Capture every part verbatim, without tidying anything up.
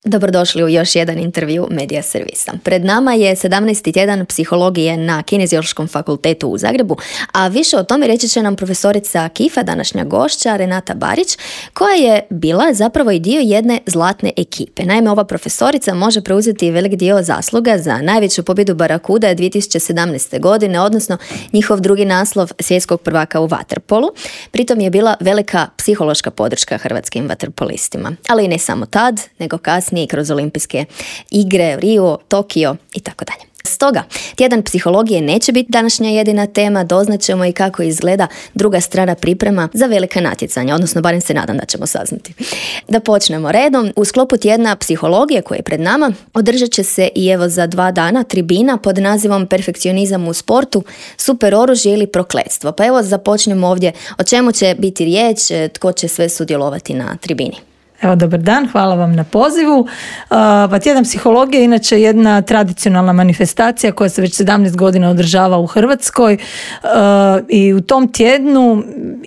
Dobrodošli u još jedan intervju Medija servisa. Pred nama je sedamnaesti tjedan psihologije na Kineziološkom fakultetu u Zagrebu, a više o tome reći će nam profesorica Kifa, današnja gošća Renata Barić, koja je bila zapravo i dio jedne zlatne ekipe. Naime, ova profesorica može preuzeti velik dio zasluga za najveću pobjedu Barakuda dvije tisuće sedamnaeste. godine, odnosno njihov drugi naslov svjetskog prvaka u vaterpolu. Pritom je bila velika psihološka podrška hrvatskim vaterpolistima. Ali i ne samo tad, nego kasnije i kroz olimpijske igre, Rio, Tokio i tako dalje. Stoga, tjedan psihologije neće biti današnja jedina tema, doznaćemo i kako izgleda druga strana priprema za velika natjecanja, odnosno barem se nadam da ćemo saznati. Da počnemo redom, u sklopu tjedna psihologije koji je pred nama, održat će se i evo za dva dana tribina pod nazivom Perfekcionizam u sportu, super oružje ili prokletstvo. Pa evo započnemo ovdje, o čemu će biti riječ, tko će sve sudjelovati na tribini. Evo, dobar dan, hvala vam na pozivu. Pa tjedan psihologije je inače jedna tradicionalna manifestacija koja se već sedamnaest godina održava u Hrvatskoj i u tom tjednu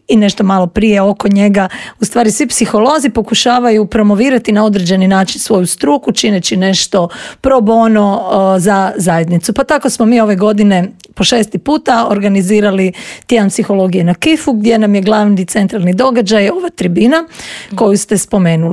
i nešto malo prije oko njega u stvari svi psiholozi pokušavaju promovirati na određeni način svoju struku, čineći nešto pro bono za zajednicu. Pa tako smo mi ove godine po šesti puta organizirali tjedan psihologije na Kifu, gdje nam je glavni centralni događaj ova tribina koju ste spomenuli.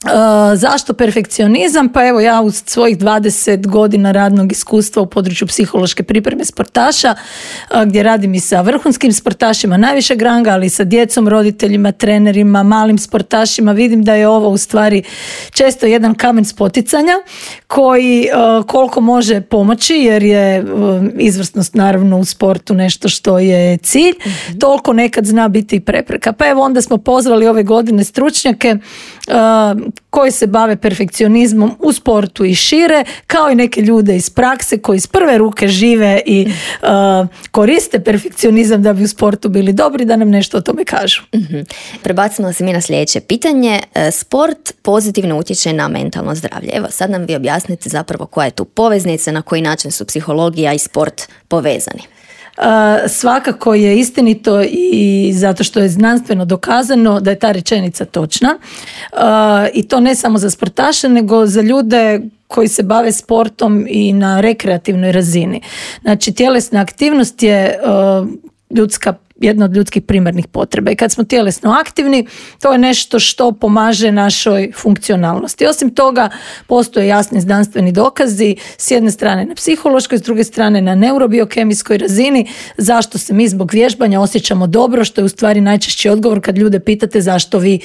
Uh, zašto perfekcionizam? Pa evo, ja u svojih dvadeset godina radnog iskustva u području psihološke pripreme sportaša, uh, gdje radim i sa vrhunskim sportašima najvišeg ranga, ali i sa djecom, roditeljima, trenerima, malim sportašima, vidim da je ovo u stvari često jedan kamen spoticanja koji uh, koliko može pomoći, jer je uh, izvrsnost naravno u sportu nešto što je cilj, mm-hmm. toliko nekad zna biti i prepreka. Pa evo, onda smo pozvali ove godine stručnjake uh, koji se bave perfekcionizmom u sportu i šire, kao i neke ljude iz prakse koji iz prve ruke žive i uh, koriste perfekcionizam da bi u sportu bili dobri, da nam nešto o tome kažu. Mm-hmm. Prebacimo se mi na sljedeće pitanje. Sport pozitivno utječe na mentalno zdravlje. Evo, sad nam vi objasnite zapravo koja je tu poveznica, na koji način su psihologija i sport povezani. Uh, svakako je istinito i zato što je znanstveno dokazano da je ta rečenica točna uh, i to ne samo za sportaše nego za ljude koji se bave sportom i na rekreativnoj razini. Znači, tjelesna aktivnost je uh, ljudska jedna od ljudskih primarnih potreba i kad smo tjelesno aktivni, to je nešto što pomaže našoj funkcionalnosti. Osim toga, postoje jasni znanstveni dokazi s jedne strane na psihološkoj, s druge strane na neurobiokemijskoj razini, zašto se mi zbog vježbanja osjećamo dobro, što je u stvari najčešći odgovor kad ljude pitate zašto vi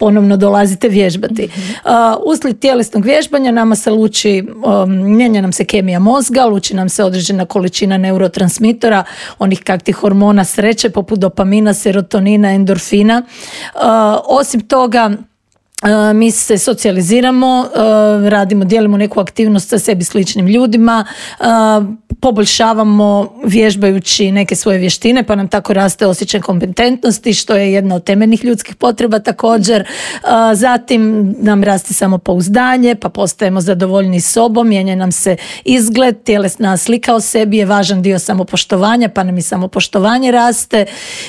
ponovno dolazite vježbati. Mm-hmm. Uh, uslijed tjelesnog vježbanja nama se luči, um, mijenja nam se kemija mozga, luči nam se određena količina neurotransmitora, onih kakvih hormona sreće poput dopamina, serotonina, endorfina. Uh, osim toga, Uh, mi se socijaliziramo, uh, radimo, dijelimo neku aktivnost sa sebi sličnim ljudima, uh, poboljšavamo vježbajući neke svoje vještine, pa nam tako raste osjećaj kompetentnosti, što je jedna od temeljnih ljudskih potreba također. Uh, zatim nam raste samopouzdanje, pa postajemo zadovoljni sobom, mijenja nam se izgled, tjelesna slika o sebi je važan dio samopoštovanja, pa nam i samopoštovanje raste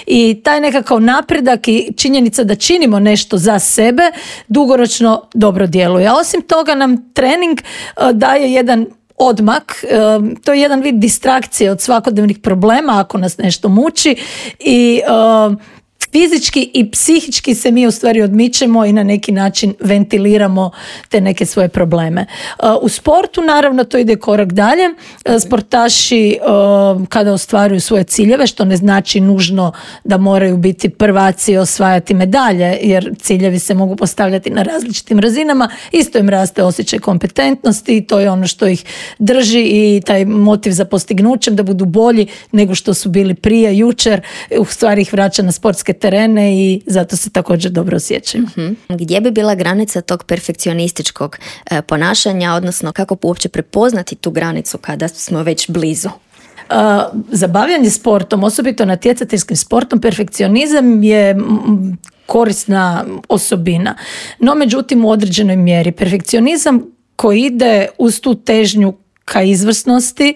i taj nekakav napredak i činjenica da činimo nešto za sebe dugoročno dobro djeluje. A osim toga nam trening uh, daje jedan odmak, uh, to je jedan vid distrakcije od svakodnevnih problema ako nas nešto muči i uh, fizički i psihički se mi u stvari odmičemo i na neki način ventiliramo te neke svoje probleme. U sportu naravno to ide korak dalje. Sportaši kada ostvaruju svoje ciljeve, što ne znači nužno da moraju biti prvaci i osvajati medalje, jer ciljevi se mogu postavljati na različitim razinama, isto im raste osjećaj kompetentnosti i to je ono što ih drži i taj motiv za postignućem da budu bolji nego što su bili prije, jučer, u stvari ih vraća na sportske terene i zato se također dobro osjećaju. Mm-hmm. Gdje bi bila granica tog perfekcionističkog e, ponašanja, odnosno kako uopće prepoznati tu granicu kada smo već blizu? Uh, za bavljanje sportom, osobito natjecateljskim sportom, perfekcionizam je m, korisna osobina. No, međutim, u određenoj mjeri. Perfekcionizam koji ide uz tu težnju ka izvrsnosti,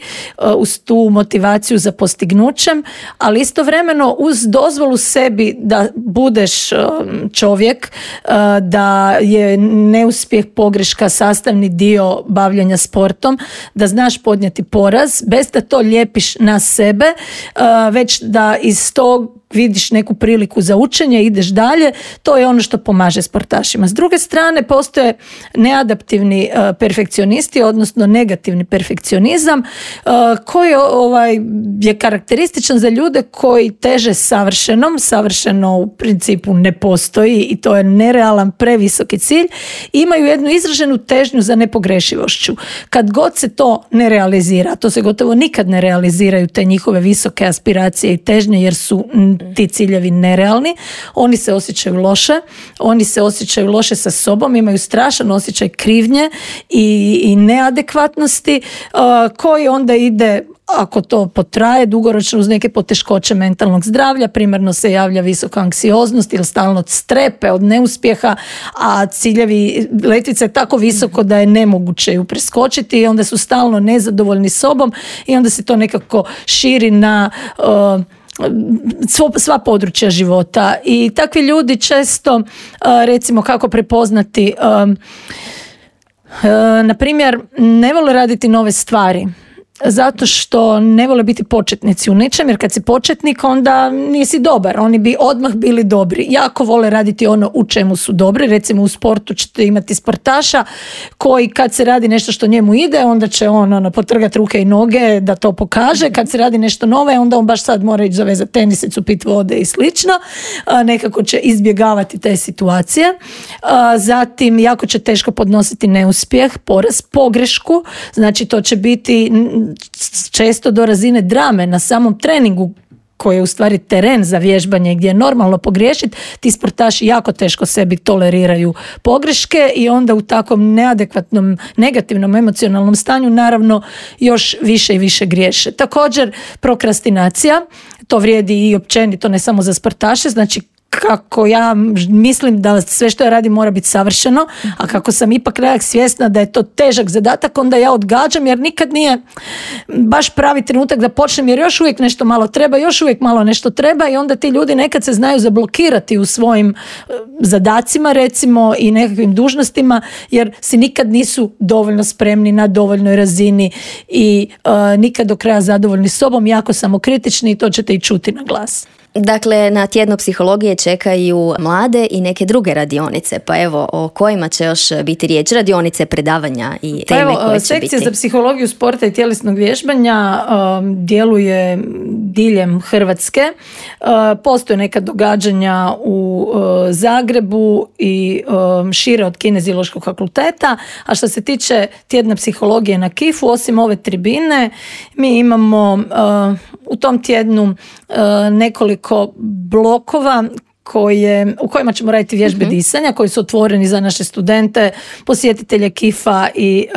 uz tu motivaciju za postignućem, ali istovremeno uz dozvolu sebi da budeš čovjek, da je neuspjeh, pogreška sastavni dio bavljanja sportom, da znaš podnijeti poraz, bez da to lijepiš na sebe, već da iz tog vidiš neku priliku za učenje, ideš dalje, to je ono što pomaže sportašima. S druge strane, postoje neadaptivni uh, perfekcionisti, odnosno negativni perfekcionizam, uh, koji ovaj, je karakterističan za ljude koji teže savršenom, savršeno u principu ne postoji i to je nerealan, previsoki cilj, imaju jednu izraženu težnju za nepogrešivošću. Kad god se to ne realizira, to se gotovo nikad ne realiziraju te njihove visoke aspiracije i težnje, jer su ti ciljevi nerealni, oni se osjećaju loše, oni se osjećaju loše sa sobom, imaju strašan osjećaj krivnje i, i neadekvatnosti, uh, koji onda ide, ako to potraje dugoročno, uz neke poteškoće mentalnog zdravlja. Primarno se javlja visoka anksioznost ili stalno strepe od neuspjeha, a ciljevi, letvica je tako visoko da je nemoguće ju preskočiti i onda su stalno nezadovoljni sobom i onda se to nekako širi na uh, sva područja života. I takvi ljudi često, recimo kako prepoznati, na primjer, ne vole raditi nove stvari zato što ne vole biti početnici u nečem, jer kad si početnik onda nisi dobar, oni bi odmah bili dobri. Jako vole raditi ono u čemu su dobri, recimo u sportu ćete imati sportaša koji kad se radi nešto što njemu ide, onda će on ono, potrgati ruke i noge da to pokaže, kad se radi nešto nove, onda on baš sad mora ići zavezati tenisicu, pit vode i slično, a, nekako će izbjegavati te situacije. A, zatim jako će teško podnositi neuspjeh, poraz, pogrešku, znači to će biti često do razine drame na samom treningu, koji je u stvari teren za vježbanje gdje je normalno pogriješiti. Ti sportaši jako teško sebi toleriraju pogreške i onda u takvom neadekvatnom, negativnom emocionalnom stanju naravno još više i više griješe. Također prokrastinacija, to vrijedi i općenito, ne samo za sportaše, znači kako ja mislim da sve što ja radim mora biti savršeno, a kako sam ipak nekak svjesna da je to težak zadatak, onda ja odgađam jer nikad nije baš pravi trenutak da počnem, jer još uvijek nešto malo treba, još uvijek malo nešto treba i onda ti ljudi nekad se znaju zablokirati u svojim zadacima recimo i nekakvim dužnostima jer si nikad nisu dovoljno spremni na dovoljnoj razini i uh, nikad do kraja zadovoljni sobom, jako samokritični i to ćete i čuti na glas. Dakle, na tjedno psihologije čekaju mlade i neke druge radionice, pa evo, o kojima će još biti riječ, radionice, predavanja i teme pa evo, koje će sekcija biti? Sekcija za psihologiju sporta i tjelesnog vježbanja um, djeluje diljem Hrvatske. Uh, postoje neka događanja u uh, Zagrebu i um, šire od Kineziološkog fakulteta, a što se tiče tjedna psihologije na Kifu, osim ove tribine, mi imamo uh, u tom tjednu uh, nekoliko blokova koje, u kojima ćemo raditi vježbe uh-huh. disanja, koji su otvoreni za naše studente, posjetitelje Kifa i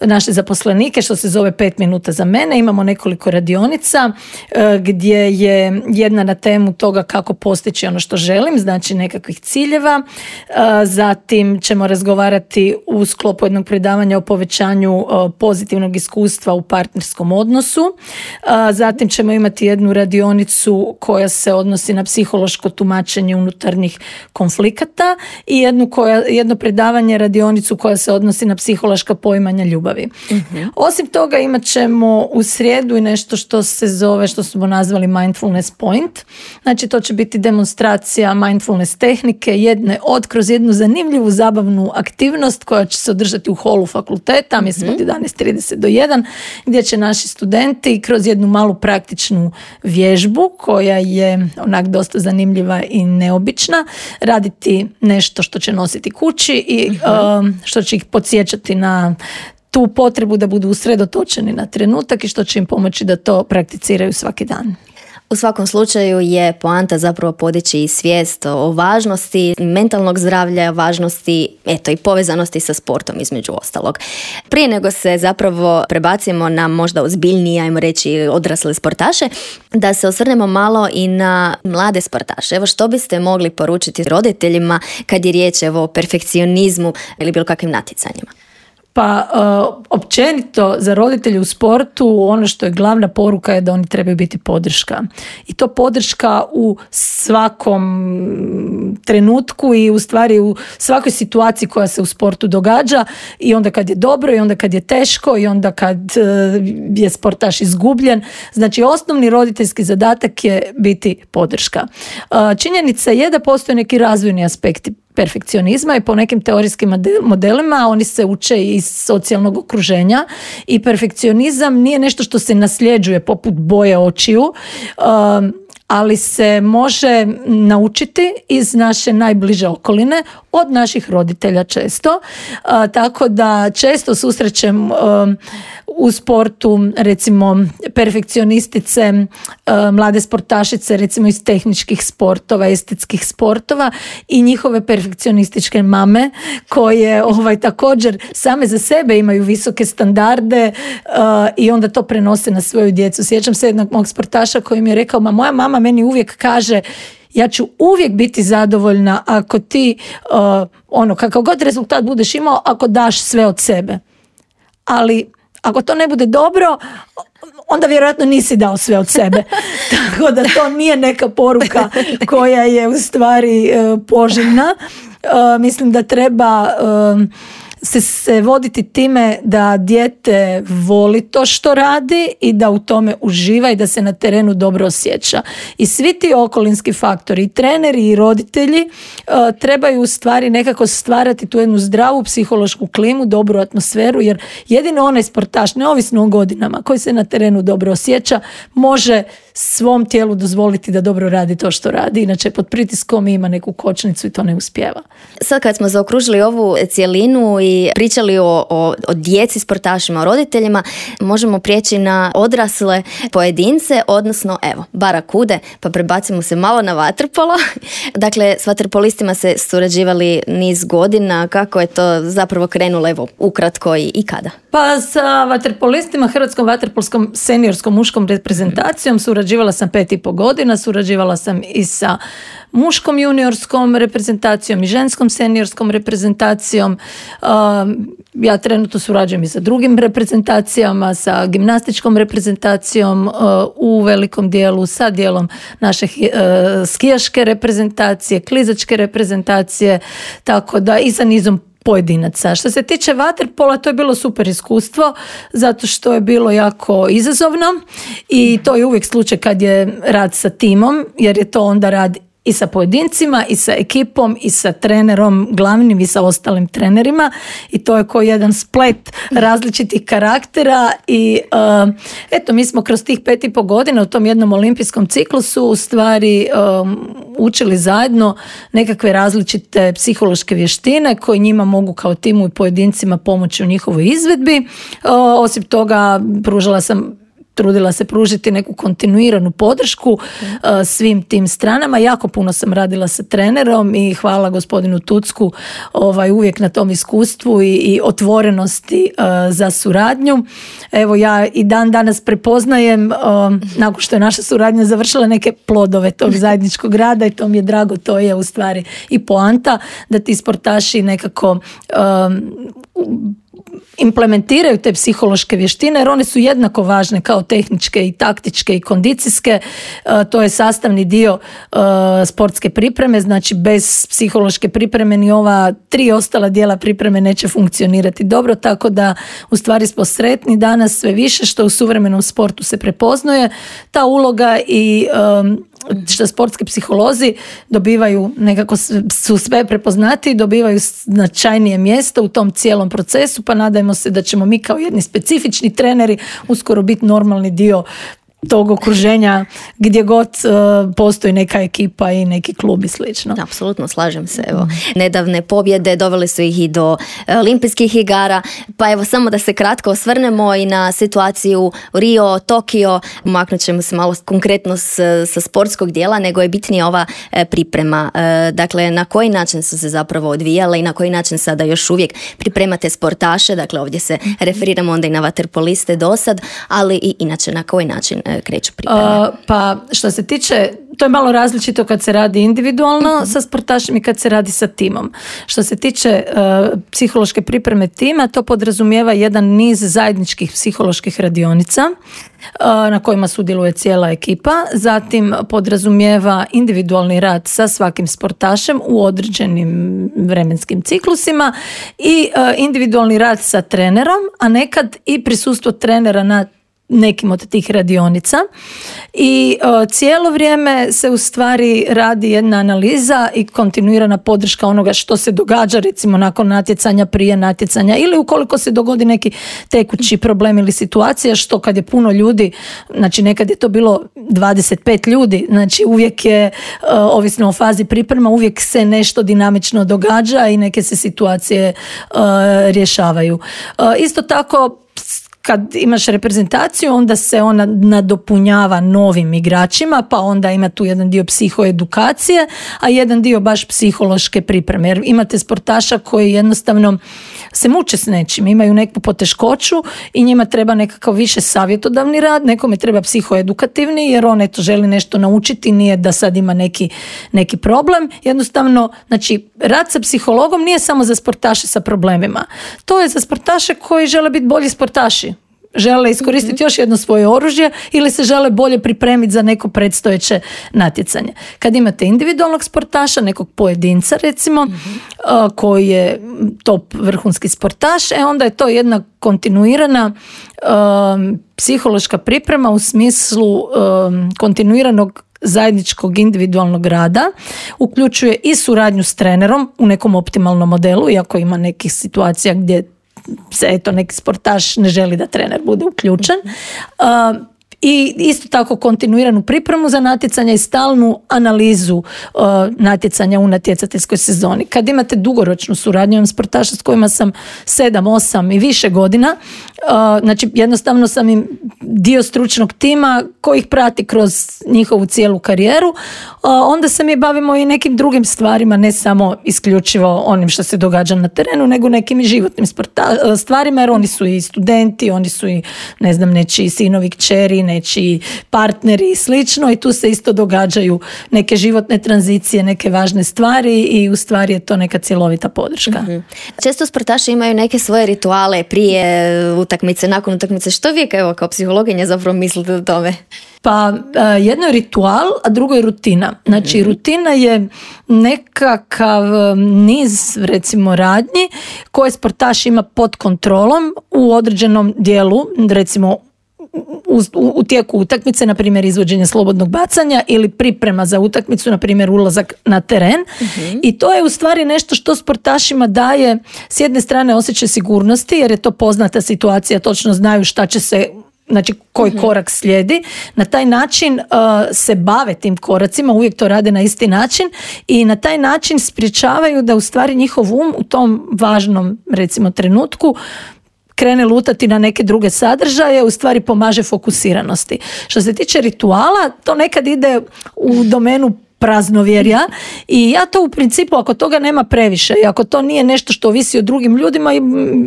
uh, naše zaposlenike, što se zove pet minuta za mene. Imamo nekoliko radionica uh, gdje je jedna na temu toga kako postići ono što želim, znači nekakvih ciljeva. Uh, zatim ćemo razgovarati u sklopu jednog predavanja o povećanju uh, pozitivnog iskustva u partnerskom odnosu. Uh, zatim ćemo imati jednu radionicu koja se odnosi na psihološko tumačenje unutarnjih konflikata i jednu koja, jedno predavanje, radionicu koja se odnosi na psihološka poimanja ljubavi. Uh-huh. Osim toga imat ćemo u srijedu i nešto što se zove, što smo nazvali Mindfulness Point. Znači to će biti demonstracija mindfulness tehnike, jedne od kroz jednu zanimljivu zabavnu aktivnost koja će se održati u holu fakulteta, uh-huh. mislim od jedanaest trideset do jedan, gdje će naši studenti kroz jednu malu praktičnu vježbu koja je onak dosta zanimljiva i neobična, raditi nešto što će nositi kući i uh-huh. uh, što će ih podsjećati na tu potrebu da budu usredotočeni na trenutak i što će im pomoći da to prakticiraju svaki dan. U svakom slučaju je poanta zapravo podići i svijest o važnosti mentalnog zdravlja, važnosti eto i povezanosti sa sportom između ostalog. Prije nego se zapravo prebacimo na možda ozbiljnije, ajmo reći, odrasle sportaše, da se osvrnemo malo i na mlade sportaše. Evo što biste mogli poručiti roditeljima kad je riječ evo, o perfekcionizmu ili bilo kakvim natjecanjima? Pa uh, općenito za roditelje u sportu ono što je glavna poruka je da oni trebaju biti podrška. I to podrška u svakom trenutku i u stvari u svakoj situaciji koja se u sportu događa, i onda kad je dobro i onda kad je teško i onda kad uh, je sportaš izgubljen. Znači osnovni roditeljski zadatak je biti podrška. Uh, činjenica je da postoje neki razvojni aspekti perfekcionizma i po nekim teorijskim modelima oni se uče iz socijalnog okruženja i perfekcionizam nije nešto što se nasljeđuje poput boje očiju, um, ali se može naučiti iz naše najbliže okoline, od naših roditelja često. Uh, tako da često susrećem um, u sportu recimo perfekcionistice, uh, mlade sportašice recimo iz tehničkih sportova, estetskih sportova i njihove perfekcionističke mame koje ovaj, također same za sebe imaju visoke standarde uh, i onda to prenose na svoju djecu. Sjećam se jednog mog sportaša koji mi je rekao, ma moja mama meni uvijek kaže ja ću uvijek biti zadovoljna ako ti, uh, ono, kakav god rezultat budeš imao, ako daš sve od sebe. Ali ako to ne bude dobro, onda vjerojatno nisi dao sve od sebe. Tako da to nije neka poruka koja je u stvari uh, poželjna. Uh, mislim da treba uh, se, se voditi time da dijete voli to što radi i da u tome uživa i da se na terenu dobro osjeća. I svi ti okolinski faktori, i treneri i roditelji uh, trebaju u stvari nekako stvarati tu jednu zdravu psihološku klimu, dobru atmosferu, jer jedino onaj sportaš, neovisno o godinama, koji se na terenu dobro osjeća, može svom tijelu dozvoliti da dobro radi to što radi. Inače pod pritiskom ima neku kočnicu i to ne uspijeva. Sad kad smo zaokružili ovu cjelinu i pričali o, o, o djeci, sportašima, o roditeljima, možemo prijeći na odrasle pojedince, odnosno evo, barakude, pa prebacimo se malo na vaterpolo. Dakle, s vaterpolistima se surađivali niz godina. Kako je to zapravo krenulo, evo, ukratko i, i kada? Pa sa vaterpolistima, Hrvatskom vaterpolskom seniorskom muškom reprezentacijom surađivala sam pet i po godina, surađivala sam i sa muškom juniorskom reprezentacijom i ženskom seniorskom reprezentacijom. Ja trenutno surađujem i sa drugim reprezentacijama, sa gimnastičkom reprezentacijom u velikom dijelu, sa dijelom naše skijaške reprezentacije, klizačke reprezentacije, tako da i sa nizom pojedinaca. Što se tiče vaterpola, to je bilo super iskustvo zato što je bilo jako izazovno i to je uvijek slučaj kad je rad sa timom, jer je to onda rad i sa pojedincima i sa ekipom i sa trenerom glavnim i sa ostalim trenerima i to je kao jedan splet različitih karaktera i uh, eto mi smo kroz tih pet i po godina u tom jednom olimpijskom ciklusu u stvari um, učili zajedno nekakve različite psihološke vještine koje njima mogu kao timu i pojedincima pomoći u njihovoj izvedbi. Uh, osim toga pružala sam trudila se pružiti neku kontinuiranu podršku uh, svim tim stranama. Jako puno sam radila sa trenerom i hvala gospodinu Tucku ovaj, uvijek na tom iskustvu i, i otvorenosti uh, za suradnju. Evo ja i dan danas prepoznajem uh, nakon što je naša suradnja završila neke plodove tog zajedničkog rada i to mi je drago, to je u stvari i poanta da ti sportaši nekako um, implementiraju te psihološke vještine jer one su jednako važne kao tehničke i taktičke i kondicijske. Uh, to je sastavni dio uh, sportske pripreme, znači bez psihološke pripreme ni ova tri ostala dijela pripreme neće funkcionirati dobro, tako da u stvari smo sretni danas sve više što u suvremenom sportu se prepoznaje ta uloga i um, što sportski psiholozi dobivaju, nekako su sve prepoznati, dobivaju značajnije mjesto u tom cijelom procesu, pa nadajmo se da ćemo mi kao jedni specifični treneri uskoro biti normalni dio tog okruženja gdje god uh, postoji neka ekipa i neki klub i slično. Apsolutno, slažem se. Evo, nedavne pobjede dovele su ih i do olimpijskih igara, pa evo samo da se kratko osvrnemo i na situaciju Rio, Tokio, maknut ćemo se malo konkretno s, sa sportskog dijela, nego je bitnija ova e, priprema. E, dakle, na koji način su se zapravo odvijale i na koji način sada još uvijek pripremate sportaše, dakle ovdje se referiramo onda i na vaterpoliste do sad, ali i inače na koji način kreću pripreme? Uh, pa što se tiče, to je malo različito kad se radi individualno uh-huh. sa sportašem i kad se radi sa timom. Što se tiče uh, psihološke pripreme tima, to podrazumijeva jedan niz zajedničkih psiholoških radionica uh, na kojima sudjeluje cijela ekipa. Zatim podrazumijeva individualni rad sa svakim sportašem u određenim vremenskim ciklusima i uh, individualni rad sa trenerom, a nekad i prisustvo trenera na nekim od tih radionica i o, cijelo vrijeme se u stvari radi jedna analiza i kontinuirana podrška onoga što se događa recimo nakon natjecanja, prije natjecanja ili ukoliko se dogodi neki tekući problem ili situacija, što kad je puno ljudi, znači nekad je to bilo dvadeset pet ljudi, znači uvijek je o, ovisno o fazi priprema, uvijek se nešto dinamično događa i neke se situacije o, rješavaju. O, isto tako kad imaš reprezentaciju, onda se ona nadopunjava novim igračima, pa onda ima tu jedan dio psihoedukacije, a jedan dio baš psihološke pripreme. Jer imate sportaša koji jednostavno se muče s nečim, imaju neku poteškoću i njima treba nekakav više savjetodavni rad, nekome treba psihoedukativni, jer on eto želi nešto naučiti, nije da sad ima neki, neki problem. Jednostavno, znači, rad sa psihologom nije samo za sportaše sa problemima. To je za sportaše koji žele biti bolji sportaši. Žele iskoristiti mm-hmm. još jedno svoje oružje ili se žele bolje pripremiti za neko predstojeće natjecanje. Kad imate individualnog sportaša, nekog pojedinca recimo, mm-hmm. uh, koji je top vrhunski sportaš, e onda je to jedna kontinuirana um, psihološka priprema u smislu um, kontinuiranog zajedničkog individualnog rada, uključuje i suradnju s trenerom u nekom optimalnom modelu, iako ima nekih situacija gdje se eto neki sportaš ne želi da trener bude uključen. Uh, I isto tako kontinuiranu pripremu za natjecanja i stalnu analizu uh, natjecanja u natjecateljskoj sezoni. Kad imate dugoročnu suradnju, imam sportaša s kojima sam sedam, osam i više godina, uh, znači jednostavno sam im dio stručnog tima koji ih prati kroz njihovu cijelu karijeru, uh, onda se mi bavimo i nekim drugim stvarima, ne samo isključivo onim što se događa na terenu, nego nekim i životnim sporta- stvarima, jer oni su i studenti, oni su i ne znam, nečiji sinovi, kćeri, nečiji partneri i slično, i tu se isto događaju neke životne tranzicije, neke važne stvari i u stvari je to neka cjelovita podrška. Mm-hmm. Često sportaši imaju neke svoje rituale prije utakmice, nakon utakmice. Što vi evo, kao psihologinja zapravo mislite o tome? Pa jedno je ritual, a drugo je rutina. Znači rutina je nekakav niz recimo radnji koje sportaš ima pod kontrolom u određenom dijelu, recimo U, u, u tijeku utakmice, na primjer izvođenje slobodnog bacanja ili priprema za utakmicu, na primjer ulazak na teren. Uh-huh. I to je u stvari nešto što sportašima daje s jedne strane osjećaj sigurnosti, jer je to poznata situacija, točno znaju šta će se, znači koji uh-huh. korak slijedi. Na taj način uh, se bave tim koracima, uvijek to rade na isti način i na taj način sprječavaju da u stvari njihov um u tom važnom recimo trenutku krene lutati na neke druge sadržaje, u stvari pomaže fokusiranosti. Što se tiče rituala, to nekad ide u domenu praznovjerja i ja to u principu, ako toga nema previše i ako to nije nešto što ovisi o drugim ljudima,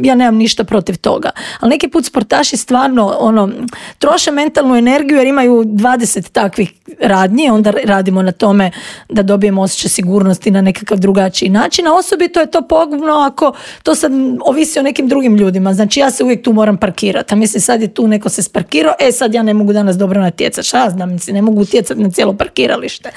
ja nemam ništa protiv toga. Ali neki put sportaši stvarno ono, troše mentalnu energiju jer imaju dvadeset takvih radnji, onda radimo na tome da dobijemo osjećaj sigurnosti na nekakav drugačiji način, a osobito je to pogubno ako to sad ovisi o nekim drugim ljudima. Znači ja se uvijek tu moram parkirati, a mislim sad je tu neko se sparkirao, e sad ja ne mogu danas dobro natjecati, šta znam, ne mogu utjecati na cijelo parkiralište.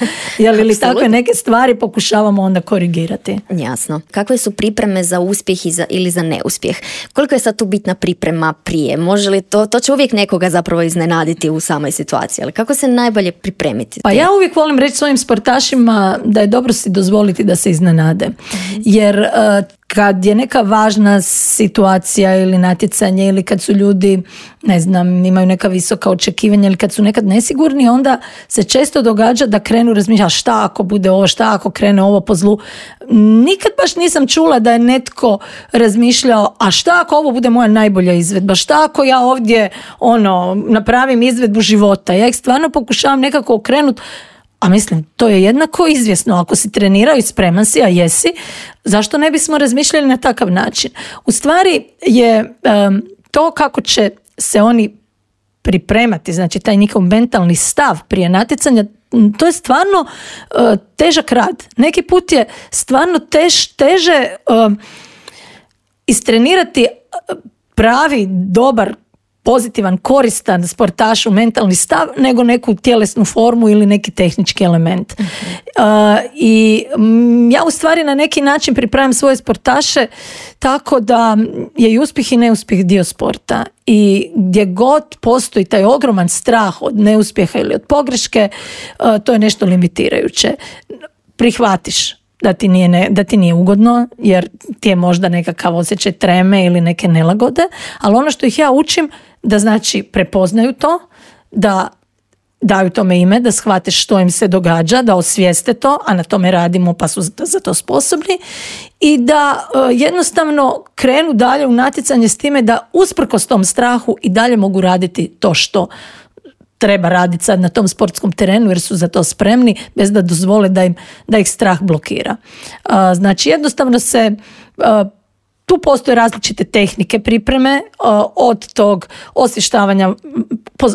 Jel, ili takve neke stvari pokušavamo onda korigirati. Jasno. Kakve su pripreme za uspjeh i za, ili za neuspjeh? Koliko je sad tu bitna priprema prije? Može li to, to će uvijek nekoga zapravo iznenaditi u samoj situaciji, ali kako se najbolje pripremiti? Pa ja uvijek volim reći svojim sportašima da je dobro si dozvoliti da se iznenade. Mm-hmm. Jer uh, kad je neka važna situacija ili natjecanje ili kad su ljudi, ne znam, imaju neka visoka očekivanja ili kad su nekad nesigurni, onda se često događa da krenu razmišljati šta ako bude ovo, šta ako krene ovo po zlu. Nikad baš nisam čula da je netko razmišljao, a šta ako ovo bude moja najbolja izvedba, šta ako ja ovdje ono, napravim izvedbu života. Ja ih stvarno pokušavam nekako okrenuti. A mislim, to je jednako izvjesno. Ako si trenirao i spreman si, a jesi, zašto ne bismo razmišljali na takav način? U stvari je um, to kako će se oni pripremati, znači taj njihov mentalni stav prije natjecanja, to je stvarno uh, težak rad. Neki put je stvarno tež, teže uh, istrenirati pravi, dobar, pozitivan, koristan sportašu mentalni stav nego neku tjelesnu formu ili neki tehnički element. Uh-huh. Uh, I m, ja u stvari na neki način pripremam svoje sportaše tako da je i uspjeh i neuspjeh dio sporta. I gdje god postoji taj ogroman strah od neuspjeha ili od pogreške, uh, to je nešto limitirajuće. Prihvatiš da ti nije, ne, da ti nije ugodno, jer ti je možda nekakav osjećaj treme ili neke nelagode, ali ono što ih ja učim, da znači prepoznaju to, da daju tome ime, da shvate što im se događa, da osvijeste to, a na tome radimo pa su za to sposobni, i da uh, jednostavno krenu dalje u natjecanje s time da usprkos tom strahu i dalje mogu raditi to što treba raditi sad na tom sportskom terenu jer su za to spremni bez da dozvole da, im, da ih strah blokira. Uh, znači jednostavno se uh, tu postoje različite tehnike pripreme, uh, od tog osvještavanja,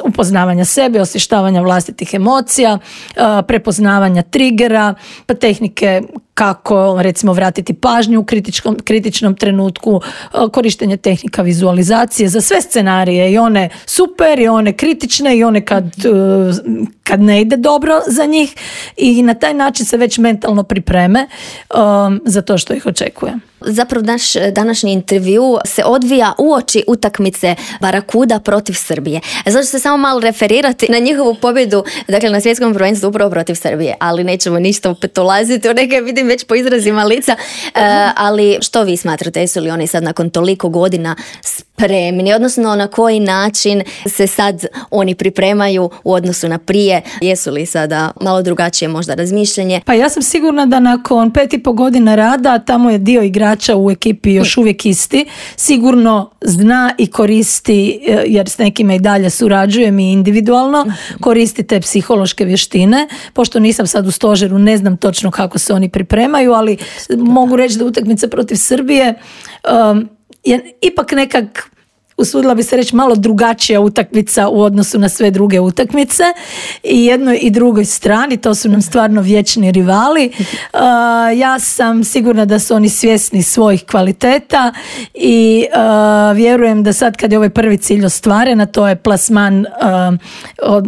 upoznavanja sebe, osvještavanja vlastitih emocija, uh, prepoznavanja trigera, pa tehnike kako recimo vratiti pažnju u kritičkom, kritičnom trenutku, uh, korištenje tehnika vizualizacije za sve scenarije, i one super, i one kritične, i one kad, uh, kad ne ide dobro za njih, i na taj način se već mentalno pripreme um, za to što ih očekuje. Zapravo naš današnji intervju se odvija uoči utakmice Barakuda protiv Srbije. Zato ću se samo malo referirati na njihovu pobjedu, dakle na svjetskom prvenstvu upravo protiv Srbije, ali nećemo ništa opet ulaziti u neke, vidim već po izrazima lica, uh, ali što vi smatrate, jesu li oni sad nakon toliko godina spremni, odnosno na koji način se sad oni pripremaju u odnosu na prije, jesu li sada malo drugačije možda razmišljanje? Pa ja sam sigurna da nakon pet i po godina rada, tamo je dio igrača u ekipi još uvijek isti, sigurno zna i koristi, jer s nekima i dalje surađujem i individualno, koristi te psihološke vještine. Pošto nisam sad u stožeru, ne znam točno kako se oni pripremaju, ali mogu reći da utakmica protiv Srbije um, je ipak nekak, usudila bi se reći, malo drugačija utakmica u odnosu na sve druge utakmice, i jednoj i drugoj strani, to su nam stvarno vječni rivali. Uh, ja sam sigurna da su oni svjesni svojih kvaliteta i uh, vjerujem da sad kad je ovaj prvi cilj ostvaren, a to je plasman uh,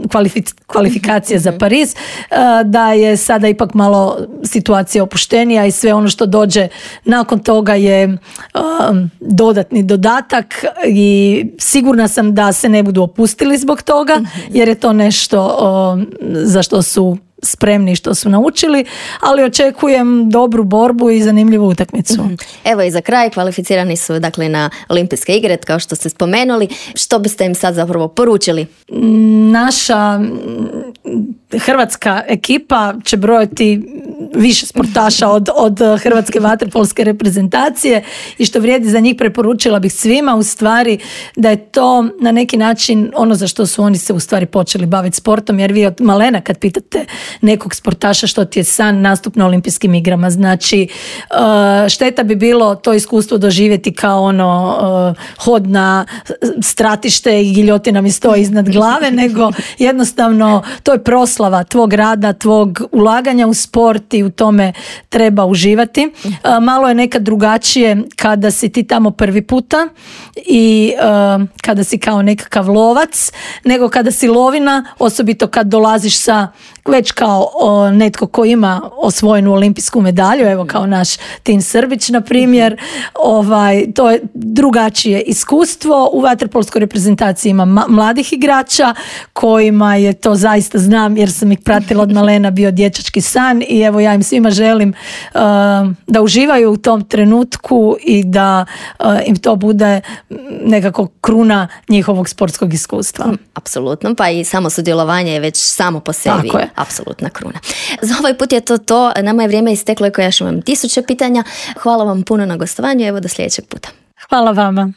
kvalific- kvalifikacije za Pariz, uh, da je sada ipak malo situacija opuštenija i sve ono što dođe nakon toga je uh, dodatni dodatak, i I sigurna sam da se ne budu opustili zbog toga, jer je to nešto o, za što su spremni, što su naučili, ali očekujem dobru borbu i zanimljivu utakmicu. Evo i za kraj, kvalificirani su dakle na Olimpijske igre, kao što ste spomenuli. Što biste im sad zapravo poručili? Naša hrvatska ekipa će brojati više sportaša od, od hrvatske vaterpolske reprezentacije, i što vrijedi za njih, preporučila bih svima u stvari da je to na neki način ono za što su oni se u stvari počeli baviti sportom, jer vi od malena kad pitate nekog sportaša što ti je san, nastup na olimpijskim igrama, znači šteta bi bilo to iskustvo doživjeti kao ono hod na stratište i giljotina mi stoji iznad glave, nego jednostavno to je proslava tvog rada, tvog ulaganja u sport, i u tome treba uživati. Malo je nekad drugačije kada si ti tamo prvi puta i kada si kao nekakav lovac, nego kada si lovina, osobito kad dolaziš sa već kao o, netko ko ima osvojenu olimpijsku medalju, evo kao naš Tin Srbić na primjer, ovaj, to je drugačije iskustvo. U vaterpolskoj reprezentaciji ima ma- mladih igrača kojima je to, zaista znam jer sam ih pratila od malena, bio dječački san, i evo ja im svima želim uh, da uživaju u tom trenutku i da uh, im to bude nekako kruna njihovog sportskog iskustva. Apsolutno, pa i samo sudjelovanje je već samo po sebi apsolutna kruna. Za ovaj put je to to, nama je vrijeme isteklo, i koja još imam tisuće pitanja. Hvala vam puno na gostovanju, evo do sljedećeg puta. Hvala vama.